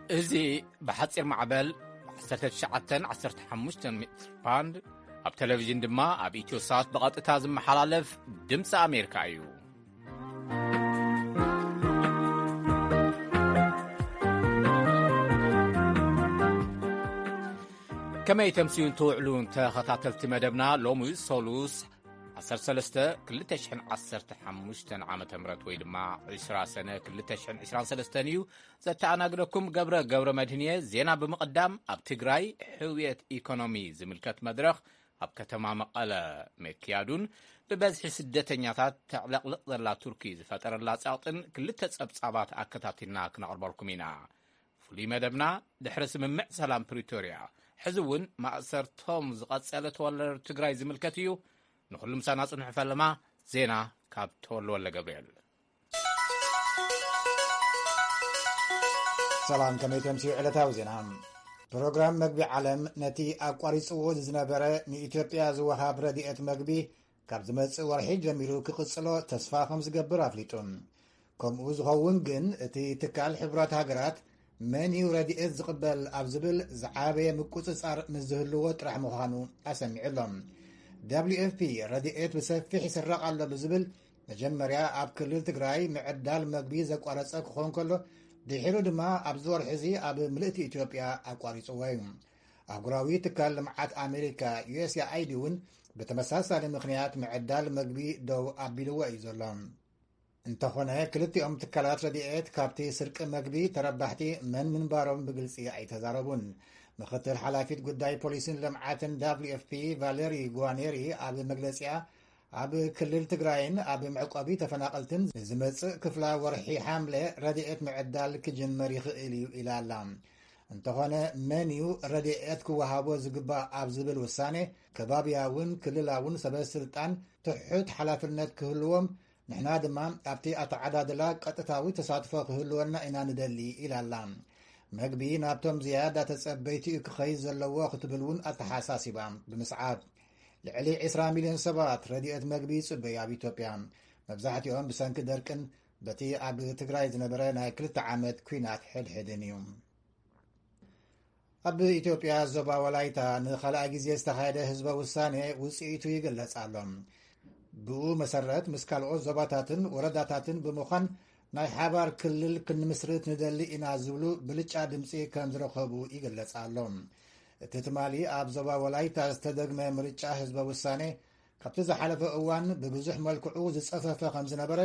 እዚ ብሓጺር ማዕበል ዓሰርተ ትሽዓተ ዓሰርተ ሓሙሽተ ሜትር ባንድ፣ ኣብ ቴሌቪዥን ድማ ኣብ ኢትዮ ሳት ብቐጥታ ዝመሓላለፍ ድምፂ ኣሜሪካ እዩ። ከመይ ተምስዩን ትውዕሉን ተኸታተልቲ መደብና? ሎሚ ሶሉስ ዓሰርተ ሰለስተ ክልተ ሽሕን ዓሰርተ ሓሙሽተን ዓመተ ምህረት ወይ ድማ ዕስራ ሰነ ክልተ ሽሕን ዕስራን ሰለስተን እዩ። ዘተኣናግደኩም ገብረ ገብረ መድህን እየ። ዜና ብምቕዳም፣ ኣብ ትግራይ ሕውየት ኢኮኖሚ ዝምልከት መድረኽ ኣብ ከተማ መቐለ ምክያዱን ብበዝሒ ስደተኛታት ተዕለቕልቕ ዘላ ቱርኪ ዝፈጠረላ ጸቕጥን ክልተ ጸብጻባት ኣከታቲልና ክነቕርበልኩም ኢና። ፍሉይ መደብና ድሕሪ ስምምዕ ሰላም ፕሪቶርያ፣ ሕዚ እውን ማእሰርቶም ዝቐጸለ ተወለደ ትግራይ ዝምልከት እዩ። ንኹሉ ምሳና ጽንሑ። ፈለማ ዜና ካብ ተወልደ ወልደ ገብርኤል። ሰላም፣ ከመይ ተምስዩ ዕለታዊ ዜና? ፕሮግራም መግቢ ዓለም ነቲ ኣቋሪጽዎ ዝነበረ ንኢትዮጵያ ዝወሃብ ረድኤት መግቢ ካብ ዝመጽእ ወርሒ ጀሚሩ ክቕጽሎ ተስፋ ከም ዝገብር ኣፍሊጡ። ከምኡ ዝኸውን ግን እቲ ትካል ሕቡራት ሃገራት መን እዩ ረድኤት ዝቕበል ኣብ ዝብል ዝዓበየ ምቁጽጻር ምስ ዝህልዎ ጥራሕ ምዃኑ ኣሰሚዑ ኣሎ። ደብሊው ኤፍ ፒ ረድኤት ብሰፊሕ ይስረቕ ኣሎ ብዝብል መጀመርያ ኣብ ክልል ትግራይ ምዕዳል መግቢ ዘቋረጸ ክኾን ከሎ፣ ድሒሩ ድማ ኣብዚ ወርሒ እዚ ኣብ ምልእቲ ኢትዮጵያ ኣቋሪጽዎ እዩ። ኣህጉራዊ ትካል ልምዓት ኣሜሪካ፣ ዩ ኤስ ኤ ኣይ ዲ፣ እውን ብተመሳሳሊ ምኽንያት ምዕዳል መግቢ ደው ኣቢልዎ እዩ ዘሎ። እንተኾነ፣ ክልቲኦም ትካላት ረድኤት ካብቲ ስርቂ መግቢ ተረባሕቲ መን ምንባሮም ብግልጺ ኣይተዛረቡን። ምኽትል ሓላፊት ጉዳይ ፖሊሲን ልምዓትን ደብሊው ኤፍ ፒ ቫለሪ ጓኔሪ ኣብ መግለጺኣ፣ ኣብ ክልል ትግራይን ኣብ መዕቆቢ ተፈናቐልትን ንዝመጽእ ክፍላ ወርሒ ሓምለ ረድኤት ምዕዳል ክጅመር ይኽእል እዩ ኢላ ኣላ። እንተኾነ፣ መን እዩ ረድኤት ክወሃቦ ዝግባእ ኣብ ዝብል ውሳኔ፣ ከባብያውን ክልላውን ሰበ ስልጣን ትሑት ሓላፍነት ክህልዎም፣ ንሕና ድማ ኣብቲ ኣተዓዳድላ ቀጥታዊ ተሳትፎ ክህልወና ኢና ንደሊ ኢላ ኣላ። መግቢ ናብቶም ዝያዳ ተጸበይቲ እዩ ክኸይድ ዘለዎ ክትብል እውን ኣተሓሳሲባ ብምስዓብ፣ ልዕሊ ዕስራ ሚልዮን ሰባት ረድኤት መግቢ ይጽበዩ ኣብ ኢትዮጵያ፣ መብዛሕትኦም ብሰንኪ ደርቅን በቲ ኣብ ትግራይ ዝነበረ ናይ ክልተ ዓመት ኲናት ሕድሕድን እዩ። ኣብ ኢትዮጵያ ዞባ ወላይታ ንኻልኣይ ግዜ ዝተኻየደ ህዝበ ውሳኔ ውጽኢቱ ይግለጽ ኣሎ። ብኡ መሰረት ምስ ካልኦት ዞባታትን ወረዳታትን ብምዃን ናይ ሓባር ክልል ክንምስርት ንደሊ ኢና ዝብሉ ብልጫ ድምጺ ከም ዝረኸቡ ይግለጽ ኣሎ። እቲ ትማሊ ኣብ ዞባ ወላይታ ዝተደግመ ምርጫ ህዝበ ውሳኔ ካብቲ ዝሓለፈ እዋን ብብዙሕ መልክዑ ዝጸፈፈ ከም ዝነበረ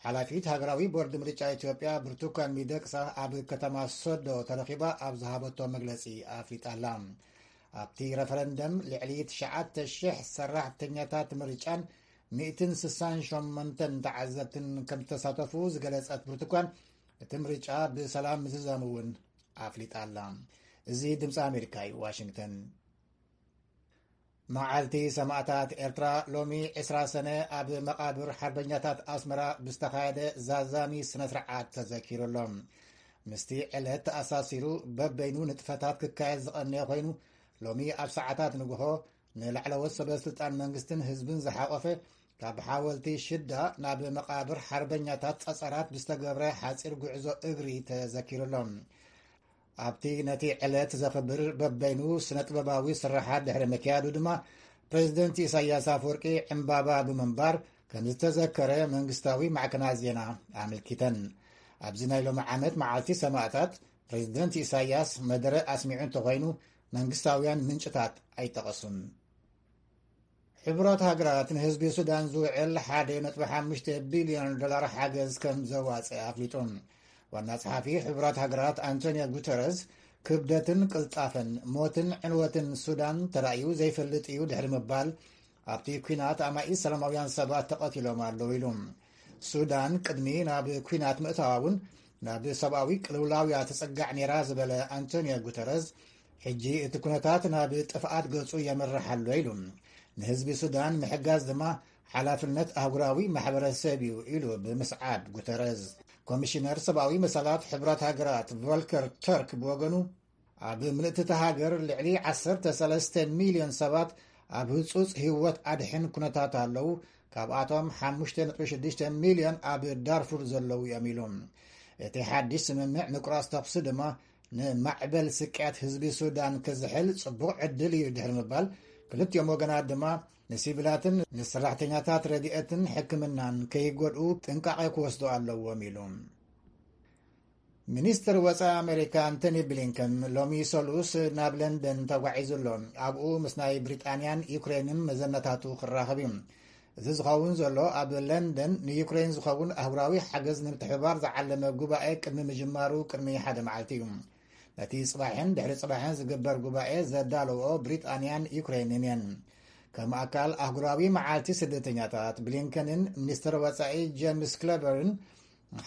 ሓላፊት ሃገራዊ ቦርድ ምርጫ ኢትዮጵያ ብርቱካን ሚደቅሳ ኣብ ከተማ ሶዶ ተረኺባ ኣብ ዝሃበቶ መግለጺ ኣፍሊጣ ኣላ። ኣብቲ ረፈረንደም ልዕሊ ትሽዓተ ሽሕ ሰራሕተኛታት ምርጫን ሚእትን ስሳን ሸሞንተን ተዓዘብትን ከም ዝተሳተፉ ዝገለጸት ብርቱካን፣ እቲ ምርጫ ብሰላም ምዝዛሙ እውን ኣፍሊጣ ኣላ። እዚ ድምፂ ኣሜሪካ እዩ፣ ዋሽንግተን። መዓልቲ ሰማእታት ኤርትራ ሎሚ ዕስራ ሰነ ኣብ መቓብር ሓርበኛታት ኣስመራ ብዝተኻየደ ዛዛሚ ስነ ስርዓት ተዘኪሩ ኣሎ። ምስቲ ዕለት ተኣሳሲሩ በበይኑ ንጥፈታት ክካየድ ዝቐነየ ኮይኑ፣ ሎሚ ኣብ ሰዓታት ንግሆ ንላዕለዎት ሰበ ስልጣን መንግስትን ህዝብን ዝሓቆፈ ካብ ሓወልቲ ሽዳ ናብ መቓብር ሓርበኛታት ጸጸራት ብዝተገብረ ሓጺር ጉዕዞ እግሪ ተዘኪሩ ኣሎ። ኣብቲ ነቲ ዕለት ዘኽብር በበይኑ ስነ ጥበባዊ ስርሓት ድሕሪ ምክያዱ ድማ፣ ፕሬዝደንት ኢሳያስ ኣፈወርቂ ዕምባባ ብምንባር ከም ዝተዘከረ መንግስታዊ ማዕከናት ዜና ኣመልኪተን። ኣብዚ ናይ ሎሚ ዓመት መዓልቲ ሰማእታት፣ ፕሬዝደንት ኢሳያስ መደረ ኣስሚዑ እንተኾይኑ፣ መንግስታውያን ምንጭታት ኣይጠቐሱን። ሕቡራት ሃገራት ንህዝቢ ሱዳን ዝውዕል ሓደ ነጥቢ ሓሙሽተ ቢልዮን ዶላር ሓገዝ ከም ዘዋጸ ኣፍሊጡ። ዋና ጸሓፊ ሕቡራት ሃገራት ኣንቶኒዮ ጉተረዝ፣ ክብደትን ቅልጣፈን ሞትን ዕንወትን ሱዳን ተራእዩ ዘይፈልጥ እዩ ድሕሪ ምባል፣ ኣብቲ ኲናት ኣማኢት ሰላማውያን ሰባት ተቐቲሎም ኣለዉ ኢሉ። ሱዳን ቅድሚ ናብ ኲናት ምእታዋ እውን ናብ ሰብኣዊ ቅልውላው እያ ትጽጋዕ ነይራ ዝበለ ኣንቶኒዮ ጉተረዝ፣ ሕጂ እቲ ኩነታት ናብ ጥፍኣት ገጹ የምርሕ ኣሎ ኢሉ። ንህዝቢ ሱዳን ምሕጋዝ ድማ ሓላፍነት ኣህጉራዊ ማሕበረሰብ እዩ ኢሉ ብምስዓብ ጉተረዝ። ኮሚሽነር ሰብኣዊ መሰላት ሕቡራት ሃገራት ቮልከር ተርክ ብወገኑ፣ ኣብ ምልእቲ እታ ሃገር ልዕሊ ዓሰርተ ሰለስተ ሚልዮን ሰባት ኣብ ህጹጽ ህይወት ኣድሕን ኩነታት ኣለዉ፣ ካብኣቶም ሓሙሽተ ነጥቢ ሽዱሽተ ሚልዮን ኣብ ዳርፉር ዘለዉ እዮም ኢሉ። እቲ ሓድሽ ስምምዕ ምቁራጽ ተኹሲ ድማ ንማዕበል ስቅያት ህዝቢ ሱዳን ክዝሕል ጽቡቕ ዕድል እዩ ድሕሪ ምባል፣ ክልቲኦም ወገናት ድማ ንሲቪላትን ንሰራሕተኛታት ረድኤትን ሕክምናን ከይጎድኡ ጥንቃቐ ክወስዱ ኣለዎም ኢሉ። ሚኒስትር ወጻኢ ኣሜሪካ ኣንቶኒ ብሊንከን ሎሚ ሰሉስ ናብ ለንደን ተጓዒዙ ኣሎ። ኣብኡ ምስ ናይ ብሪጣንያን ዩክሬንን መዘነታቱ ክራኸብ እዩ። እዚ ዝኸውን ዘሎ ኣብ ለንደን ንዩክሬን ዝኸውን ኣህጉራዊ ሓገዝ ንምትሕብባር ዝዓለመ ጉባኤ ቅድሚ ምጅማሩ ቅድሚ ሓደ መዓልቲ እዩ። ነቲ ጽባሕን ድሕሪ ጽባሕን ዝግበር ጉባኤ ዘዳለዎ ብሪጣንያን ዩክሬንን እየን። ከም ኣካል ኣህጉራዊ መዓልቲ ስደተኛታት፣ ብሊንከንን ሚኒስትር ወጻኢ ጀምስ ክለበርን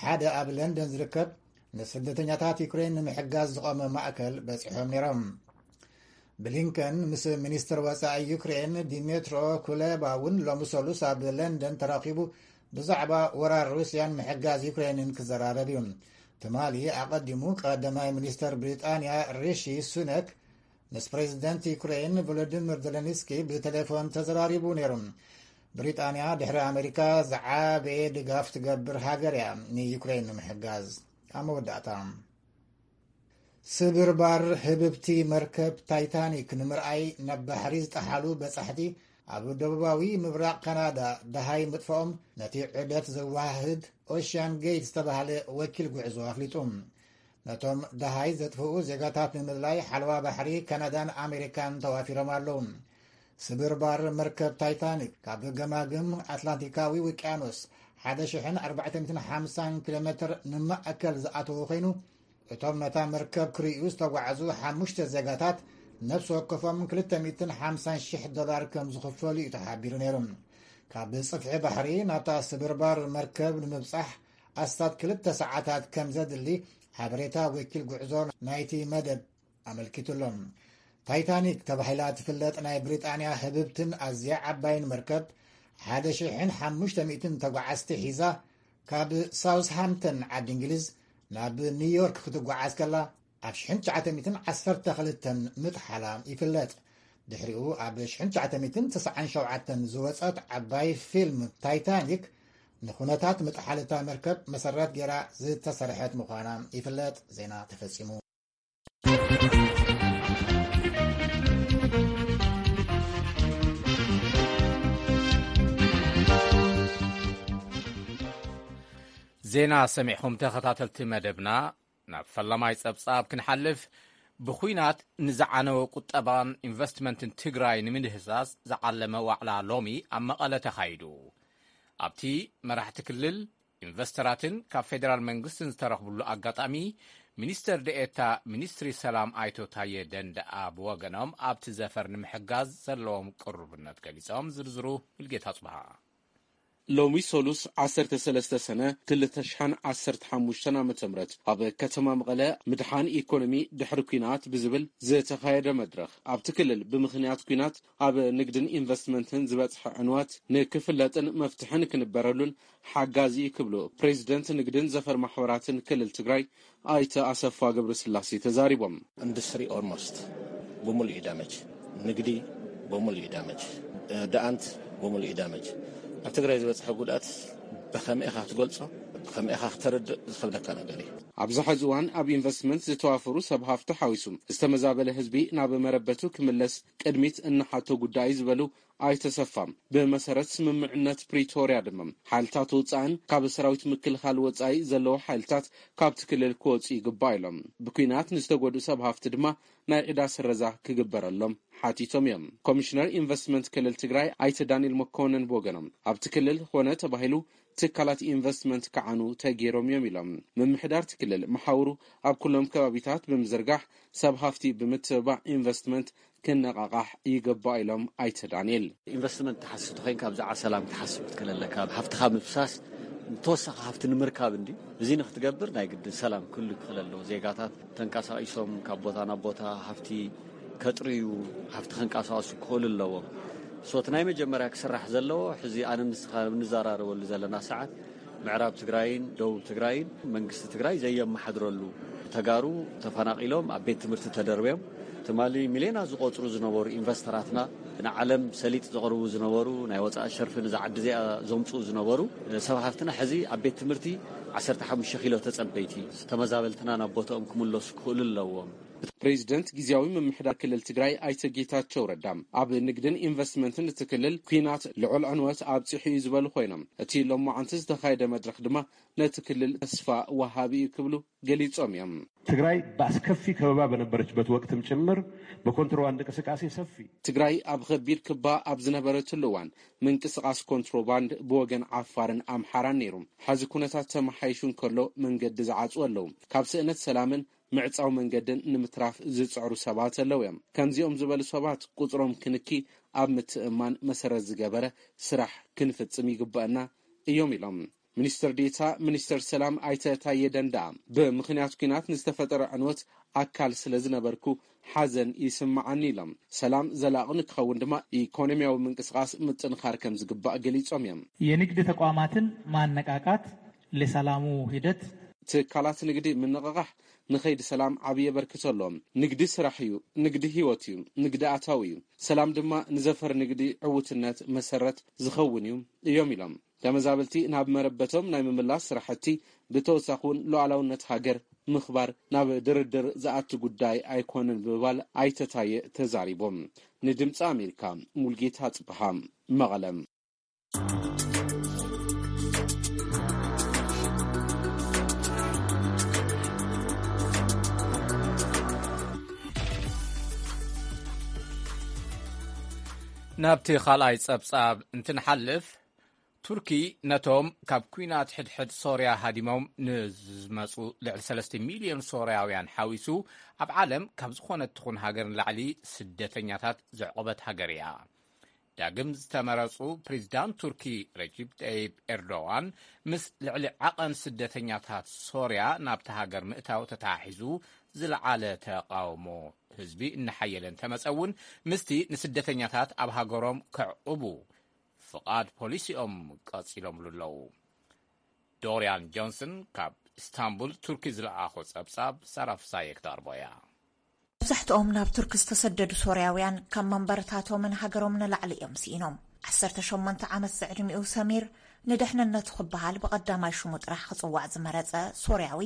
ሓደ ኣብ ለንደን ዝርከብ ንስደተኛታት ዩክሬን ንምሕጋዝ ዝቖመ ማእከል በጺሖም ነይሮም። ብሊንከን ምስ ሚኒስትር ወጻኢ ዩክሬን ዲሜትሮ ኩሌባ እውን ሎሚ ሰሉስ ኣብ ለንደን ተራኺቡ ብዛዕባ ወራር ሩስያን ምሕጋዝ ዩክሬንን ክዘራረብ እዩ። ትማሊ ኣቐዲሙ ቀዳማይ ሚኒስተር ብሪጣንያ ሪሺ ሱነክ ምስ ፕሬዚደንት ዩክሬን ቮሎዲሚር ዘለንስኪ ብቴሌፎን ተዘራሪቡ ነይሩ። ብሪጣንያ ድሕሪ ኣሜሪካ ዝዓበየ ድጋፍ ትገብር ሃገር እያ ንዩክሬን ንምሕጋዝ። ኣብ መወዳእታ፣ ስብርባር ህብብቲ መርከብ ታይታኒክ ንምርኣይ ናብ ባሕሪ ዝጠሓሉ በጻሕቲ ኣብ ደቡባዊ ምብራቕ ካናዳ ደሃይ ምጥፍኦም ነቲ ዑደት ዘወሃህድ ኦሽያን ጌት ዝተባህለ ወኪል ጉዕዞ ኣፍሊጡ። ነቶም ደሃይ ዘጥፍኡ ዜጋታት ንምድላይ ሓለዋ ባሕሪ ካናዳን ኣሜሪካን ተዋፊሮም ኣለዉ። ስብርባር መርከብ ታይታኒክ ካብ ገማግም ኣትላንቲካዊ ውቅያኖስ ሓደ ሽሕን ኣርባዕተ ሚእትን ሓምሳን ኪሎ ሜትር ንማእከል ዝኣተወ ኮይኑ፣ እቶም ነታ መርከብ ክርእዩ ዝተጓዕዙ ሓሙሽተ ዜጋታት ነፍሲ ወከፎም ክልተ ሚእትን ሓምሳን ሽሕ ዶላር ከም ዝኽፈሉ እዩ ተሓቢሩ ነይሩ። ካብ ጽፍሒ ባሕሪ ናብታ ስብርባር መርከብ ንምብጻሕ ኣስታት ክልተ ሰዓታት ከም ዘድሊ ሓበሬታ ወኪል ጉዕዞ ናይቲ መደብ ኣመልኪቱ ኣሎ። ታይታኒክ ተባሂላ ትፍለጥ ናይ ብሪጣንያ ህብብትን ኣዝያ ዓባይን መርከብ ሓደ ሽሕን ሓሙሽተ ሚእትን ተጓዓዝቲ ሒዛ ካብ ሳውስሃምፕተን ዓዲ እንግሊዝ ናብ ኒውዮርክ ክትጓዓዝ ከላ ኣብ ሽሕን ትሽዓተ ሚእትን ዓሰርተ ክልተን ምጥሓላ ይፍለጥ። ድሕሪኡ ኣብ ሽሕን ትሽዓተ ሚእትን ተስዓን ሸውዓተን ዝወጸት ዓባይ ፊልም ታይታኒክ ንኹነታት ምጥሓል እታ መርከብ መሰረት ገይራ ዝተሰርሐት ምዃና ይፍለጥ። ዜና ተፈጺሙ። ዜና ሰሚዕኹም ተኸታተልቲ መደብና። ናብ ፈላማይ ጸብጻብ ክንሓልፍ፣ ብኹናት ንዝዓነወ ቁጠባን ኢንቨስትመንትን ትግራይ ንምድህሳስ ዝዓለመ ዋዕላ ሎሚ ኣብ መቐለ ተኻይዱ። ኣብቲ መራሕቲ ክልል፣ ኢንቨስተራትን ካብ ፌደራል መንግስትን ዝተረኽብሉ ኣጋጣሚ፣ ሚኒስተር ደኤታ ሚኒስትሪ ሰላም ኣይቶ ታየ ደንደኣ ብወገኖም ኣብቲ ዘፈር ንምሕጋዝ ዘለዎም ቅሩብነት ገሊጾም። ዝርዝሩ ሙልጌታ ጽብሃ። ሎሚ ሰሉስ ዓሰርተ ሰለስተ ሰነ ክልተ ሽሕን ዓሰርተ ሓሙሽተን ዓመተ ምህረት ኣብ ከተማ መቐለ ምድሓን ኢኮኖሚ ድሕሪ ኲናት ብዝብል ዝተኻየደ መድረኽ ኣብቲ ክልል ብምኽንያት ኲናት ኣብ ንግድን ኢንቨስትመንትን ዝበፅሐ ዕንወት ንክፍለጥን መፍትሒ ንክንበረሉን ሓጋዚ እዩ ክብሉ ፕሬዚደንት ንግድን ዘፈር ማሕበራትን ክልል ትግራይ ኣይተ ኣሰፋ ገብረስላሴ ተዛሪቦም። ኢንዱስትሪ ኦልሞስት ብሙሉእ እዩ ዳመጅ፣ ንግዲ ብሙሉእ እዩ ዳመጅ፣ ደኣንት ብሙሉእ እዩ ዳመጅ። ኣብ ትግራይ ዝበፅሐ ጉድኣት ብኸመይ ኢኻ ክትገልፆ፣ ብኸመይ ኢኻ ክተረድእ ዝኸብደካ ነገር እዩ። ኣብዚ ሕዚ እዋን ኣብ ኢንቨስትመንት ዝተዋፈሩ ሰብ ሃፍቲ ሓዊሱ ዝተመዛበለ ህዝቢ ናብ መረበቱ ክምለስ ቅድሚት እንሓቶ ጉዳይ ዝበሉ ኣይተ ኣሰፋ፣ ብመሰረት ስምምዕነት ፕሪቶርያ ድማ ሓይልታት ወፃእን ካብ ሰራዊት ምክልኻል ወፃኢ ዘለዉ ሓይልታት ካብቲ ክልል ክወፁ ይግባእ ኢሎም። ብኲናት ንዝተጎድኡ ሰብ ሃፍቲ ድማ ናይ ዕዳ ስረዛ ክግበረሎም ሓቲቶም እዮም። ኮሚሽነር ኢንቨስትመንት ክልል ትግራይ ኣይተ ዳንኤል መኮንን ብወገኖም ኣብቲ ክልል ኾነ ተባሂሉ ትካላት ኢንቨስትመንት ክዓኑ ተገይሮም እዮም ኢሎም። ምምሕዳር እቲ ክልል መሓውሩ ኣብ ኩሎም ከባቢታት ብምዝርጋሕ ሰብ ሃፍቲ ብምትብባዕ ኢንቨስትመንት ክነቓቓሕ ይግባእ ኢሎም ኣይተ ዳንኤል። ኢንቨስትመንት ትሓስብ ተኾይንካ ብዛዕባ ሰላም ክትሓስብ ክትክእል ኣለካ። ሃፍትኻ ምፍሳስ ተወሳኺ ሃፍቲ ንምርካብ እንዲ። እዚ ንክትገብር ናይ ግድን ሰላም ክህሉ ክኽእል ኣለዎ። ዜጋታት ተንቀሳቒሶም ካብ ቦታ ናብ ቦታ ሃፍቲ ከጥርዩ፣ ሃፍቲ ከንቀሳቐሱ ክኽእሉ ኣለዎም። ሶ እቲ ናይ መጀመርያ ክስራሕ ዘለዎ ሕዚ ኣነ ንስኻ ንዘራረበሉ ዘለና ሰዓት ምዕራብ ትግራይን ደቡብ ትግራይን መንግስቲ ትግራይ ዘየመሓድረሉ፣ ተጋሩ ተፈናቒሎም ኣብ ቤት ትምህርቲ ተደርብዮም፣ ትማሊ ሚልዮናት ዝቆፅሩ ዝነበሩ ኢንቨስተራትና ንዓለም ሰሊጥ ዘቕርቡ ዝነበሩ፣ ናይ ወፃኢ ሸርፊ ንዛ ዓዲ እዚኣ ዘምፅኡ ዝነበሩ ሰብ ሃፍትና፣ ሕዚ ኣብ ቤት ትምህርቲ ዓሰርተ ሓሙሽተ ኪሎ ተፀበይቲ፣ ተመዛበልትና ናብ ቦታኦም ክምለሱ ክኽእሉ ኣለዎም። ፕሬዚደንት ግዜያዊ ምምሕዳር ክልል ትግራይ ኣይተ ጌታቸው ረዳ፣ ኣብ ንግድን ኢንቨስትመንትን እቲ ክልል ኲናት ልዑል ዕንወት ኣብፂሑ እዩ ዝበሉ ኮይኖም፣ እቲ ሎማዓንቲ ዝተኻየደ መድረኽ ድማ ነቲ ክልል ተስፋ ወሃቢ እዩ ክብሉ ገሊጾም እዮም። ትግራይ በአስከፊ ከበባ በነበረችበት ወቅትም ጭምር በኮንትሮባንድ እንቅስቃሴ ሰፊ ትግራይ ኣብ ኸቢድ ክባ ኣብ ዝነበረትሉ እዋን፣ ምንቅስቓስ ኮንትሮባንድ ብወገን ዓፋርን ኣምሓራን ነይሩ። ሕዚ ኩነታት ተመሓይሹ እንከሎ፣ መንገዲ ዝዓጽው ኣለዉ። ካብ ስእነት ሰላምን ምዕጻው መንገድን ንምትራፍ ዝጽዕሩ ሰባት ኣለዉ እዮም። ከምዚኦም ዝበሉ ሰባት ቁጽሮም ክንኪ፣ ኣብ ምትእምማን መሰረት ዝገበረ ስራሕ ክንፍጽም ይግበአና እዮም ኢሎም። ሚኒስትር ዴታ ሚኒስትር ሰላም ኣይተ ታየ ደንደኣ፣ ብምኽንያት ኲናት ንዝተፈጠረ ዕንወት ኣካል ስለ ዝነበርኩ ሓዘን ይስምዓኒ ኢሎም። ሰላም ዘላቒ ንክኸውን ድማ ኢኮኖሚያዊ ምንቅስቓስ ምጥንኻር ከም ዝግባእ ገሊጾም እዮም። የንግድ ተቋማትን ማነቃቃት ለሰላሙ ሂደት ትካላት ንግዲ ምንቕቓሕ ንኸይዲ ሰላም ዓብዪ ኣበርክቶ ኣለዎም። ንግዲ ስራሕ እዩ፣ ንግዲ ህይወት እዩ፣ ንግዲ ኣታዊ እዩ። ሰላም ድማ ንዘፈር ንግዲ ዕውትነት መሰረት ዝኸውን እዩ እዮም ኢሎም። ተመዛበልቲ ናብ መረበቶም ናይ ምምላስ ስራሕቲ፣ ብተወሳኺ እውን ሉዓላውነት ሃገር ምኽባር ናብ ድርድር ዝኣቱ ጉዳይ ኣይኮነን ብምባል ኣይተ ታየ ተዛሪቦም። ንድምፂ ኣሜሪካ፣ ሙልጌታ ጽብሃ፣ መቐለ። ናብቲ ካልኣይ ጸብጻብ እንትንሓልፍ፣ ቱርኪ ነቶም ካብ ኲናት ሕድሕድ ሶርያ ሃዲሞም ንዝመጹ ልዕሊ ሰለስተ ሚልዮን ሶርያውያን ሓዊሱ፣ ኣብ ዓለም ካብ ዝኾነት ትኹን ሃገር ንላዕሊ ስደተኛታት ዘዕቆበት ሃገር እያ። ዳግም ዝተመረጹ ፕሬዚዳንት ቱርኪ ረጂብ ጠይብ ኤርዶዋን፣ ምስ ልዕሊ ዓቐን ስደተኛታት ሶርያ ናብቲ ሃገር ምእታው ተተሓሒዙ ዝለዓለ ተቓውሞ ህዝቢ እናሓየለ እንተመጸ እውን፣ ምስቲ ንስደተኛታት ኣብ ሃገሮም ከዕቑቡ ፍቓድ ፖሊሲኦም ቀጺሎምሉ ኣለዉ። ዶርያን ጆንሰን ካብ ኢስታንቡል ቱርኪ ዝለኣኾ ጸብጻብ ሳራ ፍሳየ ክተቕርቦ እያ። መብዛሕትኦም ናብ ቱርክ ዝተሰደዱ ሶርያውያን ካብ መንበርታቶምን ሃገሮም ንላዕሊ እዮም ስኢኖም። ዓሰርተ ሸሞንተ ዓመት ዝዕድሚኡ ሰሚር፣ ንድሕንነቱ ክበሃል ብቐዳማይ ሽሙ ጥራሕ ክጽዋዕ ዝመረጸ ሶርያዊ፣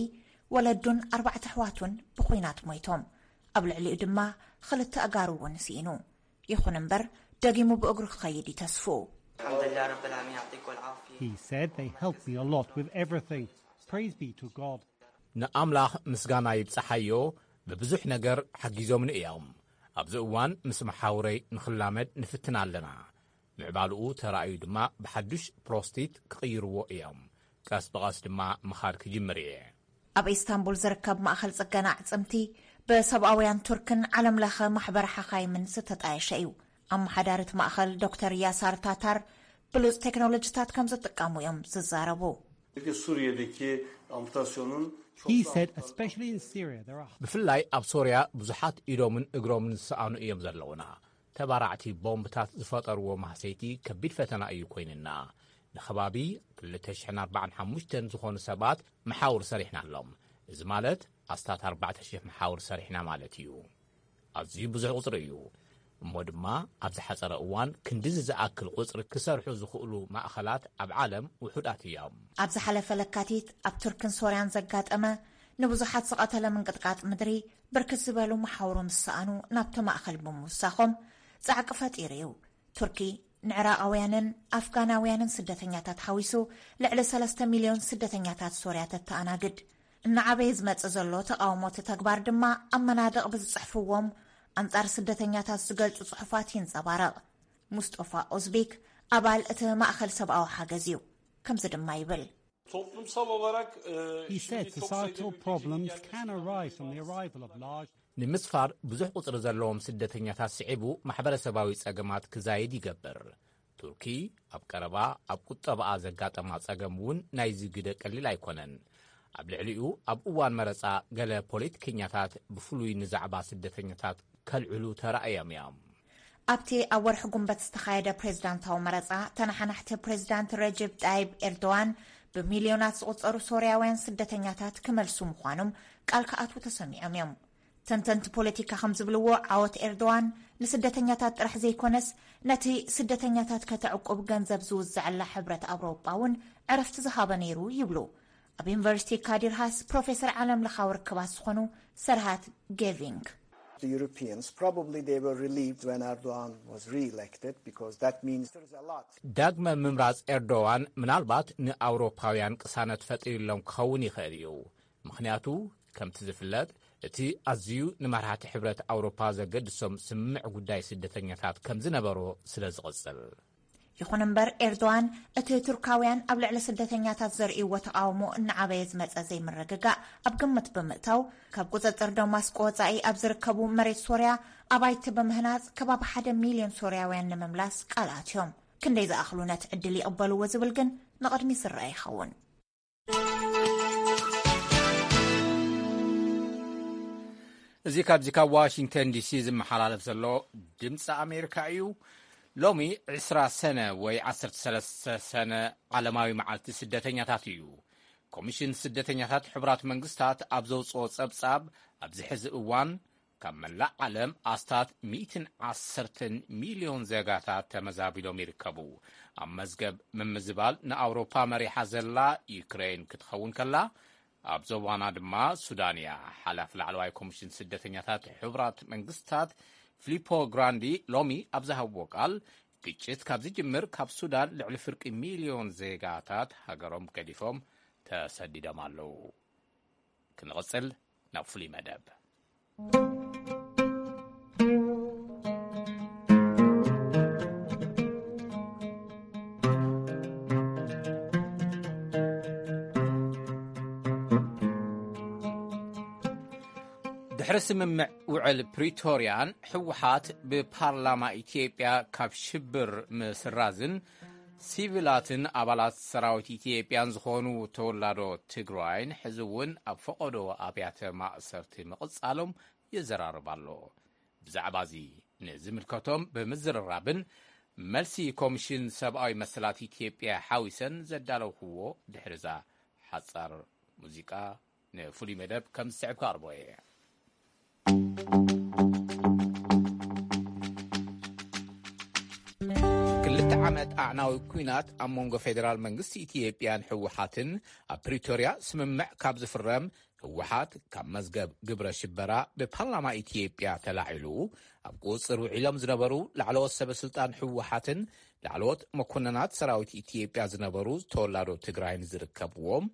ወለዱን ኣርባዕተ ኣሕዋቱን ብኹናት ሞይቶም። ኣብ ልዕሊኡ ድማ ክልተ ኣእጋሩ እውን ስኢኑ። ይኹን እምበር፣ ደጊሙ ብእግሩ ክኸይድ እዩ ተስፍኡ። الحمد لله رب العالمين، يعطيكم العافية. He said they helped me a lot with everything. Praise be to God. ንኣምላኽ ምስጋና ይብጽሓዮ፣ ብብዙሕ ነገር ሓጊዞምኒ እዮም። ኣብዚ እዋን ምስ መሓውረይ ንኽላመድ ንፍትን ኣለና። ምዕባልኡ ተራእዩ ድማ ብሓዱሽ ፕሮስቲት ክቕይርዎ እዮም። ቀስ ብቐስ ድማ ምኻድ ክጅምር እየ። ኣብ ኢስታንቡል ዝርከብ ማእኸል ጽገና ኣዕጽምቲ ብሰብኣውያን ቱርክን ዓለም ለኸ ማሕበር ሓኻይምን ዝተጣየሸ እዩ። ኣመሓዳሪ እቲ ማእኸል ዶክተር ያሳር ታታር ብሉጽ ቴክኖሎጂታት ከም ዝጥቀሙ እዮም ዝዛረቡ። Peki Suriye'deki amputasyonun çok He said, especially in Syria, there are ብፍላይ ኣብ ሶርያ ብዙሓት ኢዶምን እግሮምን ዝሰኣኑ እዮም ዘለውና። ተባራዕቲ ቦምብታት ዝፈጠርዎ ማህሰይቲ ከቢድ ፈተና እዩ ኮይንና። ንኸባቢ ክልተ ሽሕን ኣርባዓን ሓሙሽተን ዝኾኑ ሰባት መሓውር ሰሪሕናሎም። እዚ ማለት ኣስታት ኣርባዕተ ሽሕ መሓውር ሰሪሕና ማለት እዩ። ኣዝዩ ብዙሕ ቁጽሪ እዩ። እሞ ድማ ኣብ ዝሓጸረ እዋን ክንድዚ ዝኣክል ቁጽሪ ክሰርሑ ዝኽእሉ ማእኸላት ኣብ ዓለም ውሑዳት እዮም። ኣብ ዝሓለፈ ለካቲት ኣብ ቱርክን ሶርያን ዘጋጠመ ንብዙሓት ዝቐተለ ምንቅጥቃጥ ምድሪ፣ ብርክት ዝበሉ መሓውሩ ምስ ሰኣኑ ናብቲ ማእኸል ብምውሳኾም ጻዕቂ ፈጢሩ እዩ። ቱርኪ ንዕራቓውያንን ኣፍጋናውያንን ስደተኛታት ሓዊሱ ልዕሊ ሰለስተ ሚልዮን ስደተኛታት ሶርያ ተተኣናግድ። እናዓበየ ዝመጽእ ዘሎ ተቓውሞ እቲ ተግባር ድማ ኣብ መናድቕ ብዝጽሕፍዎም ኣንጻር ስደተኛታት ዝገልጹ ጽሑፋት ይንጸባረቕ። ሙስጦፋ ኦዝቢክ ኣባል እቲ ማእኸል ሰብኣዊ ሓገዝ እዩ። ከምዚ ድማ ይብል። Toplumsal olarak e, He şimdi said çok sayıda societal mülteci problems gelmesi can arise from the arrival of large ንምስፋር ብዙሕ ቁጽሪ ዘለዎም ስደተኛታት ስዒቡ ማሕበረሰባዊ ጸገማት ክዛይድ ይገብር። ቱርኪ ኣብ ቀረባ ኣብ ቁጠባኣ ዘጋጠማ ጸገም እውን ናይዚ ግደ ቀሊል ኣይኮነን። ኣብ ልዕሊኡ ኣብ እዋን መረጻ ገለ ፖለቲከኛታት ብፍሉይ ንዛዕባ ስደተኛታት ከልዕሉ ተራእዮም እዮም። ኣብቲ ኣብ ወርሒ ጉንበት ዝተኻየደ ፕሬዝዳንታዊ መረጻ፣ ተነሓናሕቲ ፕሬዝዳንት ረጀብ ጣይብ ኤርዶዋን ብሚልዮናት ዝቑጸሩ ሶርያውያን ስደተኛታት ክመልሱ ምዃኖም ቃል ክኣትዉ ተሰሚዖም እዮም። ተንተንቲ ፖለቲካ ከም ዝብልዎ፣ ዓወት ኤርዶዋን ንስደተኛታት ጥራሕ ዘይኮነስ፣ ነቲ ስደተኛታት ከተዕቁብ ገንዘብ ዝውዝዐላ ሕብረት ኣውሮጳ እውን ዕረፍቲ ዝሃበ ነይሩ ይብሉ ኣብ ዩኒቨርሲቲ ካዲር ሃስ ፕሮፌሰር ዓለም ለኻዊ ርክባት ዝኾኑ ሰርሃት ጌቪንግ። The Europeans, probably they were relieved when Erdogan was re-elected, because that means there is a lot. ዳግመ ምምራጽ ኤርዶዋን ምናልባት ንኣውሮፓውያን ቅሳነት ፈጢሩሎም ክኸውን ይኽእል እዩ። ምኽንያቱ፣ ከምቲ ዝፍለጥ፣ እቲ ኣዝዩ ንመራሕቲ ሕብረት ኣውሮፓ ዘገድሶም ስምምዕ ጉዳይ ስደተኛታት ከም ዝነበሮ ስለ ዝቕጽል። ይኹን እምበር፣ ኤርዶዋን እቲ ቱርካውያን ኣብ ልዕሊ ስደተኛታት ዘርእይዎ ተቓውሞ እናዓበየ ዝመጸ ዘይምርግጋእ ኣብ ግምት ብምእታው፣ ካብ ቁጽጽር ደማስቆ ወጻኢ ኣብ ዝርከቡ መሬት ሶርያ ኣባይቲ ብምህናጽ ከባቢ ሓደ ሚልዮን ሶርያውያን ንምምላስ ቃል ኣትዮም። ክንደይ ዝኣኽሉ ነቲ ዕድል ይቕበልዎ ዝብል ግን ንቕድሚት ዝረኣ ይኸውን። እዚ ካብዚ ካብ ዋሽንግተን ዲሲ ዝመሓላለፍ ዘሎ ድምፂ ኣሜሪካ እዩ። ሎሚ ዕስራ ሰነ ወይ ዓሰርተ ሰለስተ ሰነ ዓለማዊ መዓልቲ ስደተኛታት እዩ። ኮሚሽን ስደተኛታት ሕቡራት መንግስታት ኣብ ዘውፅኦ ፀብፃብ፣ ኣብዚ ሕዚ እዋን ካብ መላእ ዓለም ኣስታት ሚእትን ዓሰርተን ሚልዮን ዜጋታት ተመዛቢሎም ይርከቡ። ኣብ መዝገብ ምምዝባል ንኣውሮፓ መሪሓ ዘላ ዩክሬን ክትኸውን ከላ፣ ኣብ ዞባና ድማ ሱዳን እያ። ሓላፊ ላዕለዋይ ኮሚሽን ስደተኛታት ሕቡራት መንግስታት ፊሊፖ ግራንዲ ሎሚ ኣብ ዝሃብዎ ቃል፣ ግጭት ካብ ዝጅምር ካብ ሱዳን ልዕሊ ፍርቂ ሚልዮን ዜጋታት ሃገሮም ገዲፎም ተሰዲዶም ኣለዉ። ክንቕጽል ናብ ፍሉይ መደብ። ድሕሪ ስምምዕ ውዕል ፕሪቶርያን ህወሓት ብፓርላማ ኢትዮጵያ ካብ ሽብር ምስራዝን ሲቪላትን ኣባላት ሰራዊት ኢትዮጵያን ዝኾኑ ተወላዶ ትግራይን ሕዚ እውን ኣብ ፈቐዶ ኣብያተ ማእሰርቲ ምቕጻሎም ይዘራረብ ኣሎ። ብዛዕባ እዚ ንዝምልከቶም ብምዝርራብን መልሲ ኮሚሽን ሰብኣዊ መሰላት ኢትዮጵያ ሓዊሰን ዘዳለውክዎ ድሕርዛ ሓጻር ሙዚቃ ንፍሉይ መደብ ከም ዝስዕብ ክቐርቦ እየ። ክልተ ዓመት ኣዕናዊ ኲናት ኣብ መንጎ ፌደራል መንግስቲ ኢትዮጵያን ህወሓትን ኣብ ፕሪቶርያ ስምምዕ ካብ ዝፍረም ህወሓት ካብ መዝገብ ግብረ ሽበራ ብፓርላማ ኢትዮጵያ ተላዒሉ ኣብ ቁፅፅር ውዒሎም ዝነበሩ ላዕለዎት ሰበ ስልጣን ህወሓትን ላዕለዎት መኮንናት ሰራዊት ኢትዮጵያ ዝነበሩ ተወላዶ ትግራይን ዝርከብዎም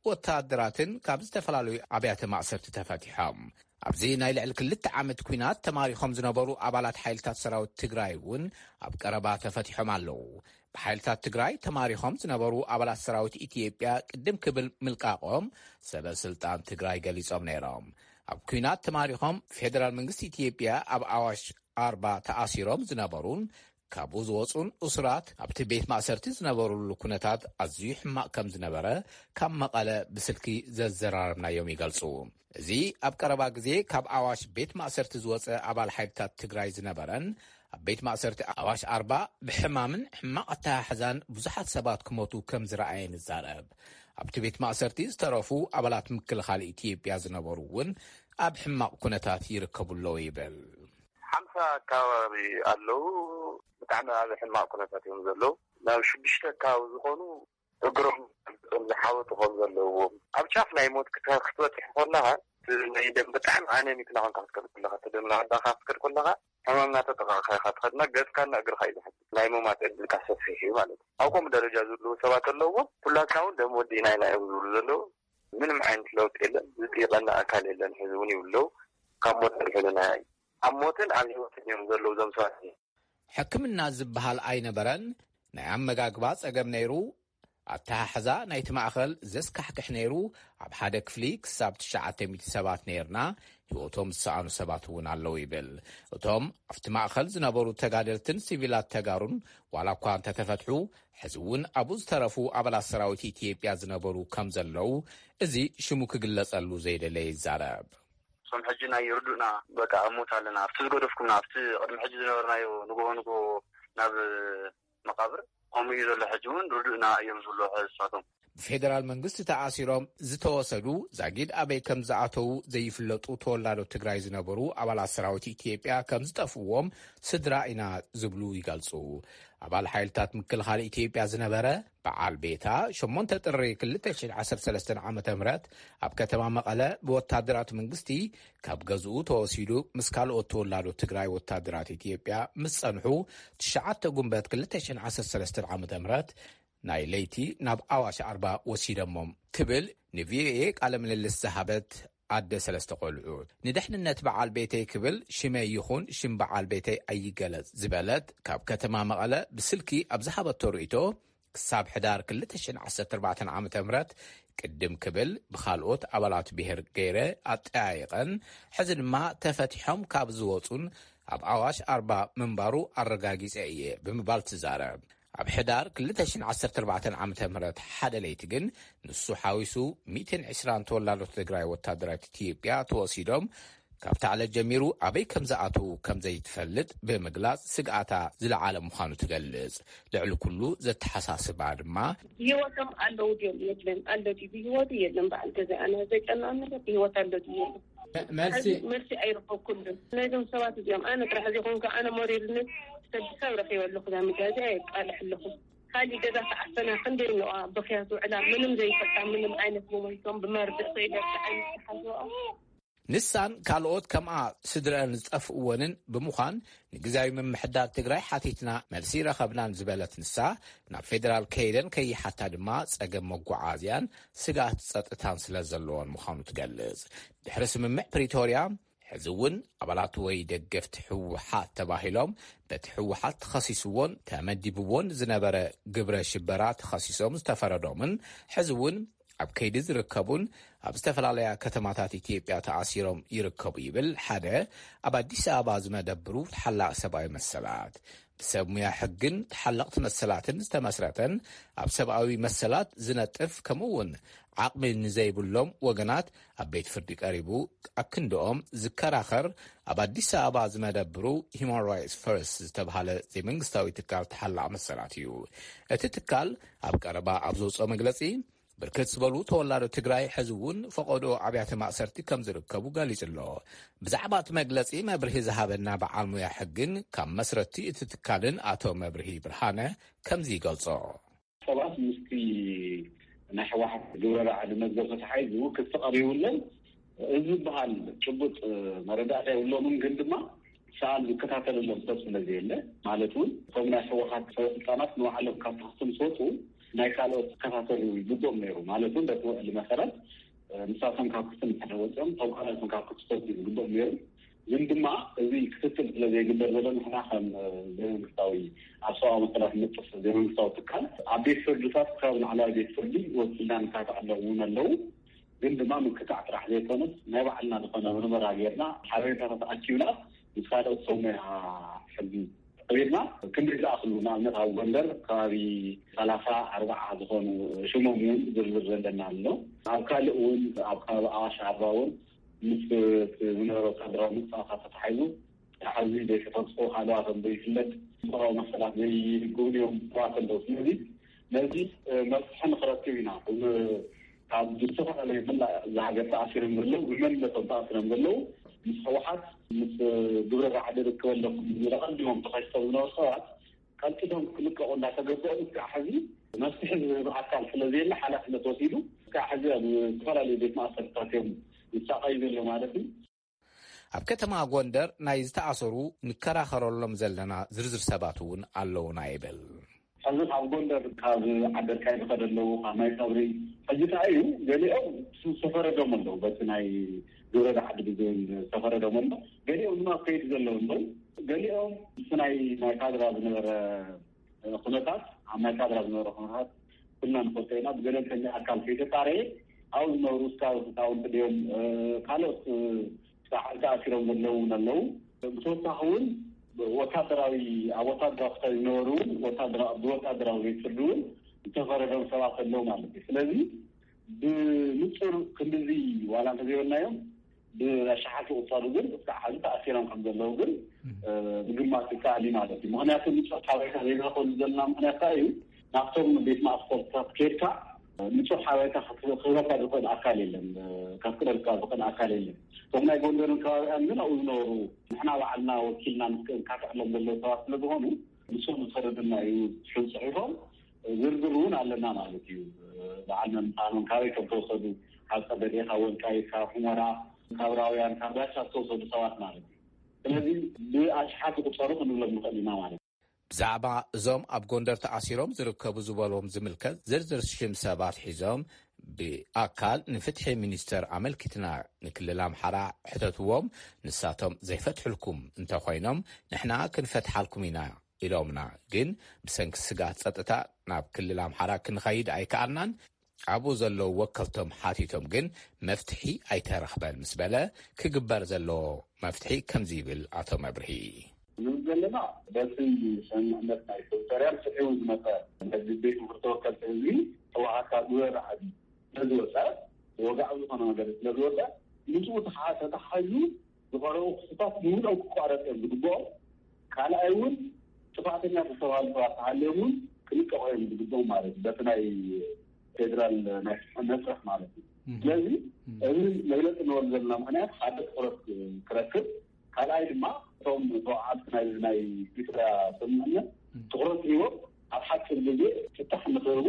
ወታደራትን ካብ ዝተፈላለዩ ኣብያተ ማእሰርቲ ተፈቲሖም። ኣብዚ ናይ ልዕሊ ክልተ ዓመት ኲናት ተማሪኾም ዝነበሩ ኣባላት ሓይልታት ሰራዊት ትግራይ እውን ኣብ ቀረባ ተፈቲሖም ኣለዉ። ብሓይልታት ትግራይ ተማሪኾም ዝነበሩ ኣባላት ሰራዊት ኢትዮጵያ ቅድም ክብል ምልቃቖም ሰበ ስልጣን ትግራይ ገሊጾም ነይሮም። ኣብ ኲናት ተማሪኾም ፌደራል መንግስቲ ኢትዮጵያ ኣብ ኣዋሽ ኣርባ ተኣሲሮም ዝነበሩን ካብኡ ዝወፁን እሱራት ኣብቲ ቤት ማእሰርቲ ዝነበሩሉ ኩነታት ኣዝዩ ሕማቕ ከም ዝነበረ ካብ መቐለ ብስልኪ ዘዘራረብናዮም ይገልፁ። እዚ ኣብ ቀረባ ግዜ ካብ ኣዋሽ ቤት ማእሰርቲ ዝወፀ ኣባል ሓይልታት ትግራይ ዝነበረን ኣብ ቤት ማእሰርቲ ኣዋሽ ኣርባ ብሕማምን ሕማቕ ኣተሓሕዛን ብዙሓት ሰባት ክሞቱ ከም ዝረኣየን ይዛረብ። ኣብቲ ቤት ማእሰርቲ ዝተረፉ ኣባላት ምክልኻል ኢትዮጵያ ዝነበሩ እውን ኣብ ሕማቕ ኩነታት ይርከቡ ኣለዉ ይብል። ሓምሳ ኣካባቢ ኣለዉ። ብጣዕሚ ኣብ ሕማቕ ኩነታት እዮም ዘለዉ። ናብ ሽዱሽተ ኣካባቢ ዝኾኑ እግሮም ዝሓወጡ ከም ዘለውዎም፣ ኣብ ጫፍ ናይ ሞት ክተ- ክትበጽሕ ከለኻ፣ እቲ ናይ ደም ብጣዕሚ ኣነሚክ ናኾንካ ክትከድ ከለኻ፣ እቲ ደም ናዳኻ ክትከድ ከለኻ፣ ሕማም እናተጠቃዕካ ኢኻ ትኸድና፣ ገጽካና እግርኻ እዩ ዝሕዝ። ናይ ምማት ዕድልካ ሰፊሕ እዩ ማለት እዩ። ኣብ ከምኡ ደረጃ ዘለዉ ሰባት ኣለውዎ። ኩላትና እውን ደም ወዲእና ኢና እዮም ዝብሉ ዘለዉ። ምንም ዓይነት ለውጢ የለን። ዝጥይቐና ኣካል የለን። ሕዚ እውን ይብሉ ኣለዉ። ካብ ሞት ኣድሕኑና እዩ። ኣብ ሞትን ኣብ ህይወትን እዮም ዘለዉ እዞም ሰባት። ሕክምና ዝበሃል ኣይነበረን። ናይ ኣመጋግባ ጸገም ነይሩ። ኣተሓሕዛ ናይቲ ማእኸል ዘስካሕክሕ ነይሩ። ኣብ ሓደ ክፍሊ ክሳብ ትሽዓተ ሚእቲ ሰባት ነይርና። ህይወቶም ዝሰኣኑ ሰባት እውን ኣለዉ ይብል። እቶም ኣብቲ ማእኸል ዝነበሩ ተጋደልትን ሲቪላት ተጋሩን ዋላ እኳ እንተተፈትሑ፣ ሕዚ እውን ኣብኡ ዝተረፉ ኣባላት ሰራዊት ኢትዮጵያ ዝነበሩ ከም ዘለዉ እዚ ሽሙ ክግለጸሉ ዘይደለየ ይዛረብ። እሶም ሕጂ ናይ ርዱእና በቃ ኣብ ሞት ኣለና፣ ኣብቲ ዝገደፍኩምና፣ ኣብቲ ቅድሚ ሕጂ ዝነበርናዮ ንግሆ ንግሆ ናብ መቃብር ከምኡ እዩ ዘሎ። ሕጂ እውን ርዱእና እዮም ዝብሉ ሕዝሳቶም። ብፌደራል መንግስቲ ተኣሲሮም ዝተወሰዱ፣ ዛጊድ ኣበይ ከም ዝኣተዉ ዘይፍለጡ ተወላዶ ትግራይ ዝነበሩ ኣባላት ሰራዊት ኢትዮጵያ ከም ዝጠፍእዎም ስድራ ኢና ዝብሉ ይገልጹ። ኣባል ሓይልታት ምክልኻል ኢትዮጵያ ዝነበረ በዓል ቤታ፣ ሸሞንተ ጥሪ ክልተ ሽሕን ዓሰርተ ሰለስተን ዓመተ ምህረት ኣብ ከተማ መቐለ ብወታደራት መንግስቲ ካብ ገዝኡ ተወሲዱ ምስ ካልኦት ተወላዶ ትግራይ ወታደራት ኢትዮጵያ ምስ ጸንሑ፣ ትሽዓተ ጉንበት ክልተ ሽሕን ዓሰርተ ሰለስተን ዓመተ ምህረት ናይ ለይቲ ናብ ኣዋሽ ኣርባ ወሲደሞም ክብል ንቪኦኤ ቃለ ምልልስ ዝሃበት ኣደ ሰለስተ ቆልዑ፣ ንድሕንነት በዓል ቤተይ ክብል ሽመይ ይኹን ሽም በዓል ቤተይ ኣይገለጽ ዝበለት፣ ካብ ከተማ መቐለ ብስልኪ ኣብ ዝሃበቶ ርእይቶ፣ ክሳብ ሕዳር ክልተ ሽሕን ዓሰርተ ኣርባዕተን ዓመተ ምህረት ቅድም ክብል ብኻልኦት ኣባላት ብሄር ገይረ ኣጠያይቐን፣ ሕዚ ድማ ተፈቲሖም ካብ ዝወጹን ኣብ ኣዋሽ ኣርባ ምንባሩ ኣረጋጊጸ እየ ብምባል ትዛረብ። ኣብ ሕዳር ክልተ ሽሕን ዓሰርተ ኣርባዕተን ዓመተ ምህረት ሓደ ለይቲ ግን ንሱ ሓዊሱ ሚእትን ዕስራን ተወላዶት ትግራይ ወታደራት ኢትዮጵያ ተወሲዶም፣ ካብታ ዕለት ጀሚሩ ኣበይ ከም ዝኣትዉ ከም ዘይትፈልጥ ብምግላጽ ስግኣታ ዝለዓለ ምዃኑ ትገልጽ። ልዕሊ ኩሉ ዘተሓሳስባ ድማ፣ ብህይወቶም ኣለዉ ድዮም የለን፣ ኣሎ ድዩ ብህይወቱ የለን፣ በዓል ገዛ ኣነ ዘጨናነቀ ብህይወት ኣሎ ድዩ የለን። መልሲ፣ መልሲ ኣይረኸብኩሉን። ናይዞም ሰባት እዚኦም ኣነ ጥራሕ ዘይኮንኩ ኣነ መሪርነት ሰብ ሰብ ረኺበ ኣለኹ፣ እዛ ሚድያ እዚኣ የቃልሕ ኣለኹ። ካሊእ ገዛ ተዓፈና ክንደይ ነዋ ብኽያት ውዕላ ምንም ዘይፈልጣ ምንም ዓይነት ሞመንቶም ብመርድእ ከይደርሲ ዓይነት ተሓዝኦ። ንሳን ካልኦት ከምኣ ስድረአን ዝጠፍእወንን ብምዃን ንግዝያዊ ምምሕዳር ትግራይ ሓቲትና መልሲ ረኸብናን ዝበለት ንሳ፣ ናብ ፌደራል ከይደን ከይሓታ ድማ ጸገም መጓዓዝያን ስግኣት ጸጥታን ስለ ዘለዎን ምዃኑ ትገልጽ። ድሕሪ ስምምዕ ፕሪቶርያ፣ ሕዚ እውን ኣባላት ወይ ደገፍቲ ህወሓት ተባሂሎም በቲ ህወሓት ተኸሲስዎን ተመዲብዎን ዝነበረ ግብረ ሽበራ ተኸሲሶም ዝተፈረዶምን ሕዚ እውን ኣብ ከይዲ ዝርከቡን ኣብ ዝተፈላለያ ከተማታት ኢትዮጵያ ተኣሲሮም ይርከቡ ይብል ሓደ ኣብ ኣዲስ ኣበባ ዝመደብሩ ተሓላቒ ሰብኣዊ መሰላት። ብሰብ ሙያ ሕግን ተሓለቕቲ መሰላትን ዝተመስረተን ኣብ ሰብኣዊ መሰላት ዝነጥፍ ከምኡ እውን ዓቕሚ ንዘይብሎም ወገናት ኣብ ቤት ፍርዲ ቀሪቡ ኣክንድኦም ዝከራኸር ኣብ ኣዲስ ኣበባ ዝመደብሩ ሂማን ራይትስ ፈርስት ዝተብሃለ ዘይመንግስታዊ ትካል ተሓላቒ መሰላት እዩ። እቲ ትካል ኣብ ቀረባ ኣብ ዘውፅኦ መግለፂ፣ ብርክት ዝበሉ ተወላዶ ትግራይ ሕዚ እውን ፈቐዶ ኣብያተ ማእሰርቲ ከም ዝርከቡ ገሊጹ ኣሎ። ብዛዕባ እቲ መግለጺ መብርሂ ዝሃበና በዓል ሙያ ሕግን ካብ መስረቲ እቲ ትካልን ኣቶ መብርሂ ብርሃነ ከምዚ ይገልጾ። ሰባት ምስቲ ናይ ህወሓት ግብረ ራዕዲ መዝገብ ተታሒዙ ክሲ ቀሪቡሎም እዚ ዝበሃል ጭቡጥ መረዳእታ የብሎምን፣ ግን ድማ ሰኣል ዝከታተለሎም ሰብ ስለ ዘየለ፣ ማለት እውን እቶም ናይ ህወሓት ሰበስልጣናት ንባዕሎም ካብ ታኽሲ ምስ ወፁ ናይ ካልኦት ክከታተሉ ይግብኦም ነይሩ። ማለት እውን በቲ ውዕሊ መሰረት፣ እ፣ ንሳቶም ካብ ክሲ እንድሕር ወፂኦም እቶም ካልኦት እውን ካብ ክሲ ክወፁ ዝግብኦም ነይሩ። ግን ድማ እዚ ክትትል ስለ ዘይግበር ዘሎ ንሕና ከም፣ እ፣ ዘይመንግስታዊ ኣብ ሰብኣዊ መሰላት ንጥፍ ዘይመንግስታዊ ትካል ኣብ ቤት ፍርድታት ክሳብ ላዕለዋይ ቤት ፍርዲ ወሲድና ንካታዕ ኣለዉ እውን ኣለዉ። ግን ድማ ምክታዕ ጥራሕ ዘይኮነስ ናይ ባዕልና ዝኾነ ምርመራ ጌርና ሓበሬታታት ኣኪብና ምስ ካልኦት ሰብ ሞያ ሕጊ ቀቢልና ክንደይ ዝኣኽሉ ንኣብነት ኣብ ጎንደር ከባቢ ሰላሳ ኣርባዓ ዝኾኑ ሽሞም እውን ዝርዝር ዘለና ኣሎ። ኣብ ካልእ እውን ኣብ ከባቢ ኣዋሽ ኣርባ እውን ምስ ዝነበረ ወታደራዊ ምንቅስቃሳት ተታሒዙ ሕዚ ዘይተፈትሑ ሃለዋቶም ዘይፍለጥ ሰብኣዊ መሰላት ዘይግብንዮም ሰባት ኣለዉ። ስለዚ ነዚ መፍትሒ ንክረክብ ኢና ካብ ዝተፈላለዩ መላእ እዛ ሃገር ተኣሲሮም ዘለዉ ብመንነቶም ተኣሲሮም ዘለዉ ምስ ህወሓት ምስ ግብረ ራዕዲ ርክብ ኣለኩም ዝለቐዲሞም ተኸሲሶም ዝነበሩ ሰባት ቀልጢፎም ክልቀቑ እንዳተገበኦም እስካዕ ሕዚ መፍትሒ ዝህብ ኣካል ስለዘየለ ሓላፍነት ወሲዱ እስካዕ ሕዚ ኣብ ዝተፈላለዩ ቤት ማእሰርታት እዮም ዝሳቐዩ ዘለዉ ማለት እዩ። ኣብ ከተማ ጎንደር ናይ ዝተኣሰሩ ንከራኸረሎም ዘለና ዝርዝር ሰባት እውን ኣለውና ይብል። ሕዚ ካብ ጎንደር ካብ ዓደርቃይ ዝኸደ ኣለዉ ካብ ናይ ቀብሪ ሕጂ ከኣ እዩ ገሊኦም ዝተፈረዶም ኣለዉ በቲ ናይ ግብረ ራዕዲ ብዝብል ዝተፈረዶም ኣሎ። ገሊኦም ድማ ኣብ ከይዲ ዘለዉ ኣለዉ። ገሊኦም ምስ ናይ ናይ ካድራ ዝነበረ ኩነታት ኣብ ናይ ካድራ ዝነበረ ኩነታት ኩልና ንፈልጦ ኢና። ብገለልተኛ ኣካል ከይተጣረየ ኣብኡ ዝነብሩ ስካውት ህፃውንቲ ድዮም ካልኦት ፃዕሪ ተኣሲሮም ዘለዉ እውን ኣለዉ። ብተወሳኺ እውን ወታደራዊ ኣብ ወታደራዊ ክፍተት ዝነበሩ እውን ወታደራዊ ብወታደራዊ ቤት ፍርዲ እውን ዝተፈረዶም ሰባት ኣለዉ ማለት እዩ። ስለዚ ብንፁር ክንድዚ ዋላ እንተዘይበልናዮም ብኣሻሓት ዝቁፀሩ ግን እስካዕ ሕዚ ተኣሲሮም ከም ዘለዉ ግን ምግማት ይከኣል እዩ ማለት እዩ። ምክንያቱ ንፁር ሓበሬታ ዘይንረክበሉ ዘለና ምክንያት ከኣ እዩ ናብቶም ቤት ማእሰርታት ከይድካ ንጹር ሓበሬታ ክህበካ ዝኽእል ኣካል የለን፣ ከፍቅደልካ ዝኽእል ኣካል የለን። እቶም ናይ ጎንደርን ከባቢኣን ግን ኣብኡ ዝነበሩ ንሕና ባዕልና ወኪልና ንካትዕሎም ዘለዉ ሰባት ስለ ዝኾኑ ንሶም ዝፈረድና እዩ። ሽም ጽሒፎም ዝርዝር እውን ኣለና ማለት እዩ። በዓል መምፃኖም ካበይ ከም ተወሰዱ፣ ካብ ጸበዴ፣ ካብ ወልቃይት፣ ካብ ሑመራ፣ ካብ ራውያን፣ ካብ ራሻ ዝተወሰዱ ሰባት ማለት እዩ። ስለዚ ብኣሽሓት ይቁጸሩ ክንብሎም ንኽእል ኢና ማለት እዩ። ብዛዕባ እዞም ኣብ ጎንደር ተኣሲሮም ዝርከቡ ዝበሎም ዝምልከት ዝርዝር ሽም ሰባት ሒዞም ብኣካል ንፍትሒ ሚኒስተር ኣመልኪትና ንክልል ኣምሓራ ሕተትዎም። ንሳቶም ዘይፈትሕልኩም እንተኾይኖም ንሕና ክንፈትሓልኩም ኢና ኢሎምና። ግን ብሰንኪ ስጋት ጸጥታ ናብ ክልል ኣምሓራ ክንኸይድ ኣይከኣልናን። ኣብኡ ዘለዉ ወከልቶም ሓቲቶም ግን መፍትሒ ኣይተረኽበን ምስ በለ ክግበር ዘለዎ መፍትሒ ከምዚ ይብል ኣቶ መብርሂ። ንብል ዘለና በቲ ስምምዕነት ናይ ፕሪቶርያ ስዒቡ ዝመፀ ነዚ ቤት ምኽሪ ተወከልቲ ህዝቢ ህወሓት ካብ ዝበለ ዓዲ ስለዝወፀ፣ ወግዓዊ ዝኾነ ነገር ስለዝወፀ ምስኡ ተሓ- ተተሓሒዙ ዝቐረቡ ክስታት ብምልኦም ክቋረፅ እዮም ዝግብኦም። ካልኣይ እውን ጥፋእተኛ ዝተባሃሉ ሰባት ተሃልዮም እውን ክልቀቑ እዮም ዝግብኦም ማለት እዩ። በቲ ናይ ፌደራል ናይ ፍትሒ መስርሕ ማለት እዩ። ስለዚ እዚ መግለፂ ንወሉ ዘለና ምክንያት ሓደ ትኹረት ክረክብ፣ ካልኣይ ድማ እቶም ተወዓልቲ ናይ ናይ ፕሪቶርያ ስምምዕነት ትኹረት ሂቦም ኣብ ሓፂር ግዜ ፍታሕ ንክህቡ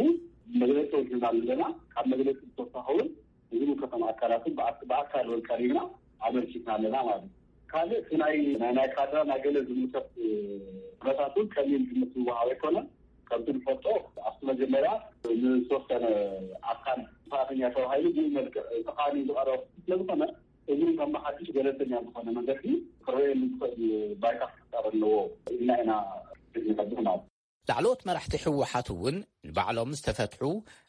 መግለፂ ወሲድና ኣለና። ካብ መግለፂ ዝተወሳኸ እውን ንዝምልከቶም ኣካላት እውን ብኣክ- ብኣካል እውን ቀሪብና ኣመልኪትና ኣለና ማለት እዩ። ካልእ እቲ ናይ ናይ ናይ ካድራ ናይ ገለ ዝምልከት ኩነታት እውን ቀሊል ግምት ዝወሃብ ኣይኮነን። ከምቲ ንፈልጦ ኣብቲ መጀመርያ ንዝተወሰነ ኣካል ጥፋተኛ ተባሂሉ ብኡ መልክዕ ተቃኒ ዝቐረበ ስለዝኾነ እዚ ከም ብሓድሽ ገለልተኛ ዝኾነ መንገዲ ክረኣየሉ ዝኽእል ባይታ ክፍጠር ኣለዎ ኢልና ኢና ንነብር ማለት እዩ። ላዕለዎት መራሕቲ ህወሓት እውን ንባዕሎም ዝተፈትሑ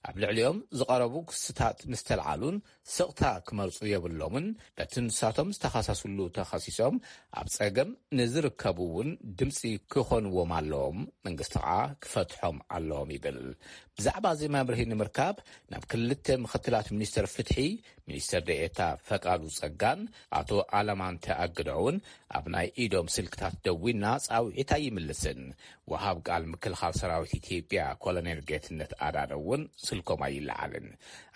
ኣብ ልዕሊኦም ዝቐረቡ ክስታት ምስተልዓሉን ስቕታ ክመርጹ የብሎምን። በቲ ንሳቶም ዝተኸሰስሉ ተኸሲሶም ኣብ ጸገም ንዝርከቡ እውን ድምፂ ክኾንዎም ኣለዎም፣ መንግስቲ ከዓ ክፈትሖም ኣለዎም ይብል። ብዛዕባ እዚ መብርሂ ንምርካብ ናብ ክልተ ምክትላት ሚኒስተር ፍትሒ ሚኒስተር ደኤታ ፈቃዱ ጸጋን ኣቶ ኣለማንተ ኣግደውን ኣብ ናይ ኢዶም ስልክታት ደዊና ጻውዒት ኣይምልስን። ወሃብ ቃል ምክልኻል ሰራዊት ኢትዮጵያ ኮሎኔል ጌትነት ኣዳነ እውን ስልኮም ኣይለዓልን።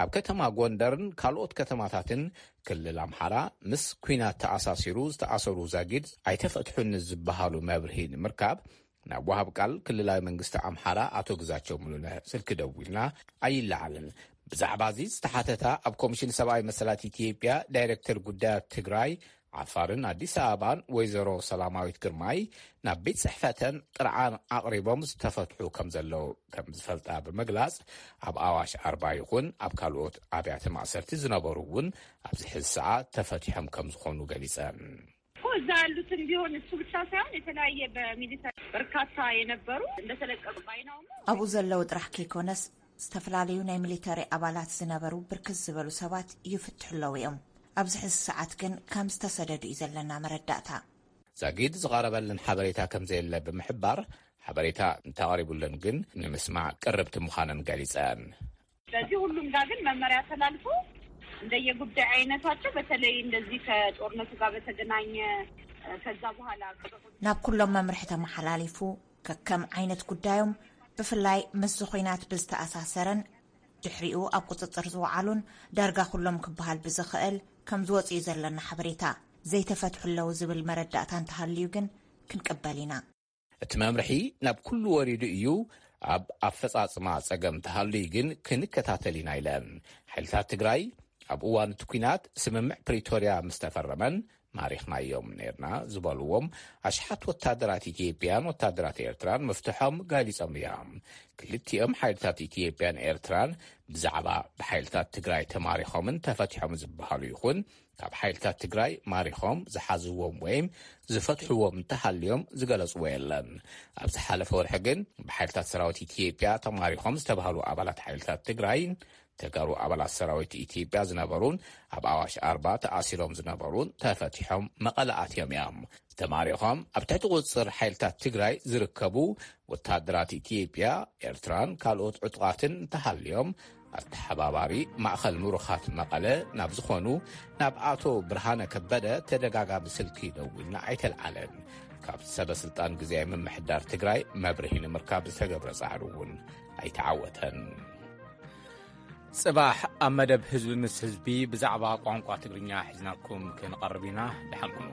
ኣብ ከተማ ጎንደርን ካልኦት ከተማታትን ክልል ኣምሓራ ምስ ኲናት ተኣሳሲሩ ዝተኣሰሩ ዛጊድ ኣይተፈትሑን ዝበሃሉ መብርሂ ንምርካብ ናብ ወሃብ ቃል ክልላዊ መንግስቲ ኣምሓራ ኣቶ ግዛቸው ሙሉነህ ስልኪ ደዊልና ኣይለዓልን። ብዛዕባ እዚ ዝተሓተታ ኣብ ኮሚሽን ሰብኣዊ መሰላት ኢትዮጵያ ዳይሬክተር ጉዳያት ትግራይ ዓፋርን ኣዲስ ኣበባን ወይዘሮ ሰላማዊት ግርማይ ናብ ቤት ጽሕፈተን ጥርዓን ኣቕሪቦም ዝተፈትሑ ከም ዘለዉ ከም ዝፈልጣ ብምግላጽ፣ ኣብ ኣዋሽ ኣርባ ይኹን ኣብ ካልኦት ኣብያተ ማእሰርቲ ዝነበሩ እውን ኣብዚ ሕዚ ሰዓት ተፈቲሖም ከም ዝኾኑ ገሊጸን። እኮ እዛ ያሉትን ቢሆን እሱ ብቻ ሳይሆን የተለያየ በሚሊተሪ በርካታ የነበሩ እንደተለቀቁ ባይናውም ኣብኡ ዘለዉ ጥራሕ ከይኮነስ ዝተፈላለዩ ናይ ሚሊተሪ ኣባላት ዝነበሩ ብርክት ዝበሉ ሰባት ይፍትሑ ኣለዉ እዮም። ኣብዚ ሕዚ ሰዓት ግን ከም ዝተሰደዱ እዩ ዘለና መረዳእታ። ዛጊድ ዝቐረበለን ሓበሬታ ከም ዘየለ ብምሕባር፣ ሓበሬታ እንተቕሪቡለን ግን ንምስማዕ ቅርብቲ ምዃነን ገሊጸን። ስለዚህ ሁሉም ጋር ግን መመሪያ ተላልፎ እንደየጉዳይ አይነታቸው በተለይ እንደዚህ ከጦርነቱ ጋር በተገናኘ ከዛ በኋላ ናብ ኩሎም መምርሒ ተመሓላሊፉ፣ ከከም ዓይነት ጉዳዮም፣ ብፍላይ ምስዚ ኹናት ብዝተኣሳሰረን ድሕሪኡ ኣብ ቁፅፅር ዝወዓሉን ዳርጋ ኩሎም ክበሃል ብዝኽእል ከም ዝወፅኡ ዘለና ሓበሬታ። ዘይተፈትሑ ኣለዉ ዝብል መረዳእታ እንተሃልዩ ግን ክንቅበል ኢና። እቲ መምርሒ ናብ ኩሉ ወሪዱ እዩ። ኣብ ኣፈፃፅማ ፀገም እንተሃልዩ ግን ክንከታተል ኢና ኢለን። ሓይልታት ትግራይ ኣብ እዋን እቲ ኲናት ስምምዕ ፕሪቶርያ ምስ ተፈረመን ማሪኽናዮም ነርና ዝበልዎም ኣሽሓት ወታደራት ኢትዮጵያን ወታደራት ኤርትራን ምፍትሖም ገሊጾም እዮም። ክልቲኦም ሓይልታት ኢትዮጵያን ኤርትራን ብዛዕባ ብሓይልታት ትግራይ ተማሪኾምን ተፈቲሖም ዝበሃሉ ይኹን ካብ ሓይልታት ትግራይ ማሪኾም ዝሓዝዎም ወይም ዝፈትሕዎም እንተሃልዮም ዝገለጽዎ የለን። ኣብ ዝሓለፈ ወርሒ ግን ብሓይልታት ሰራዊት ኢትዮጵያ ተማሪኾም ዝተባህሉ ኣባላት ሓይልታት ትግራይን ተጋሩ ኣባላት ሰራዊት ኢትዮጵያ ዝነበሩን ኣብ ኣዋሽ ኣርባ ተኣሲሮም ዝነበሩን ተፈቲሖም መቐለ ኣትዮም እዮም። ተማሪኾም ኣብ ትሕቲ ቁፅፅር ሓይልታት ትግራይ ዝርከቡ ወታደራት ኢትዮጵያ፣ ኤርትራን ካልኦት ዕጡቓትን እንተሃልዮም ኣተሓባባሪ ማእኸል ምሩኻት መቐለ ናብ ዝኾኑ ናብ ኣቶ ብርሃነ ከበደ ተደጋጋሚ ስልኪ ደዊልና ኣይተልዓለን። ካብ ሰበ ስልጣን ግዜያዊ ምምሕዳር ትግራይ መብርሂ ንምርካብ ዝተገብረ ፃዕሪ እውን ኣይተዓወተን። ጽባሕ ኣብ መደብ ህዝቢ ምስ ህዝቢ ብዛዕባ ቋንቋ ትግርኛ ሒዝናኩም ክንቐርብ ኢና። ደሓን ኩኑ።